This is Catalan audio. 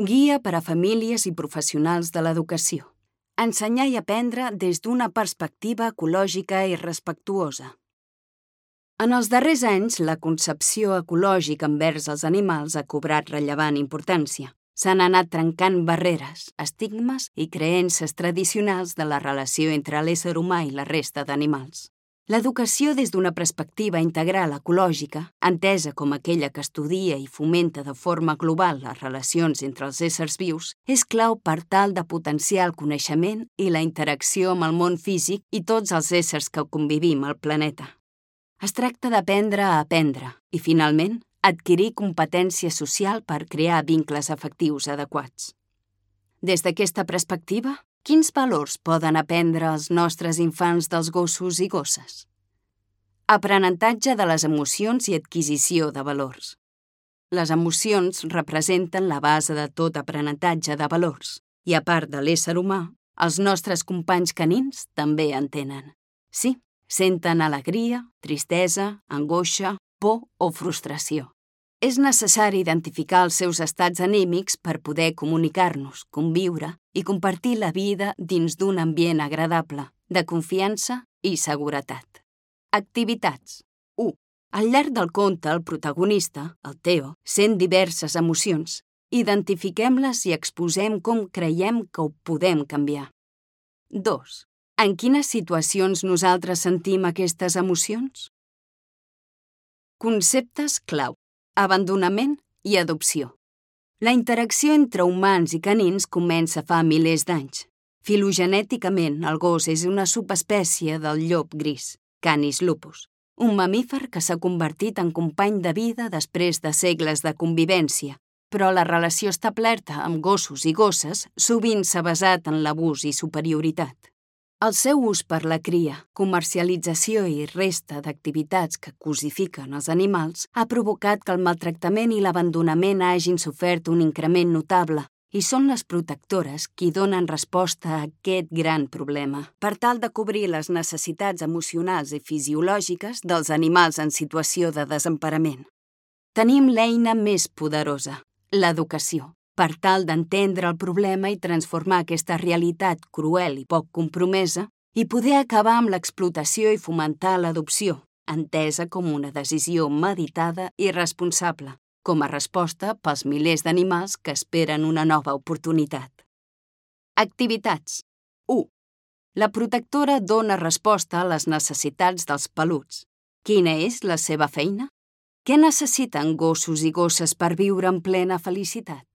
Guia per a famílies i professionals de l'educació. Ensenyar i aprendre des d'una perspectiva ecològica i respectuosa. En els darrers anys, la concepció ecològica envers els animals ha cobrat rellevant importància. S'han anat trencant barreres, estigmes i creences tradicionals de la relació entre l'ésser humà i la resta d'animals. L'educació des d'una perspectiva integral ecològica, entesa com aquella que estudia i fomenta de forma global les relacions entre els éssers vius, és clau per tal de potenciar el coneixement i la interacció amb el món físic i tots els éssers que convivim al planeta. Es tracta d'aprendre a aprendre i, finalment, adquirir competència social per crear vincles afectius adequats. Des d'aquesta perspectiva, quins valors poden aprendre els nostres infants dels gossos i gosses? Aprenentatge de les emocions i adquisició de valors. Les emocions representen la base de tot aprenentatge de valors i, a part de l'ésser humà, els nostres companys canins també en tenen. Sí, senten alegria, tristesa, angoixa, por o frustració. És necessari identificar els seus estats anímics per poder comunicar-nos, conviure i compartir la vida dins d'un ambient agradable, de confiança i seguretat. Activitats. 1. Al llarg del conte, el protagonista, el Theo, sent diverses emocions. Identifiquem-les i exposem com creiem que ho podem canviar. 2. En quines situacions nosaltres sentim aquestes emocions? Conceptes clau. Abandonament i adopció. La interacció entre humans i canins comença fa milers d'anys. Filogenèticament, el gos és una subespècie del llop gris, Canis lupus, un mamífer que s'ha convertit en company de vida després de segles de convivència, però la relació establerta amb gossos i gosses sovint s'ha basat en l'abús i superioritat. El seu ús per la cria, comercialització i resta d'activitats que cosifiquen els animals ha provocat que el maltractament i l'abandonament hagin sofert un increment notable i són les protectores qui donen resposta a aquest gran problema per tal de cobrir les necessitats emocionals i fisiològiques dels animals en situació de desemparament. Tenim l'eina més poderosa, l'educació, per tal d'entendre el problema i transformar aquesta realitat cruel i poc compromesa i poder acabar amb l'explotació i fomentar l'adopció, entesa com una decisió meditada i responsable, com a resposta pels milers d'animals que esperen una nova oportunitat. Activitats. 1. La protectora dona resposta a les necessitats dels peluts. Quina és la seva feina? Què necessiten gossos i gosses per viure en plena felicitat?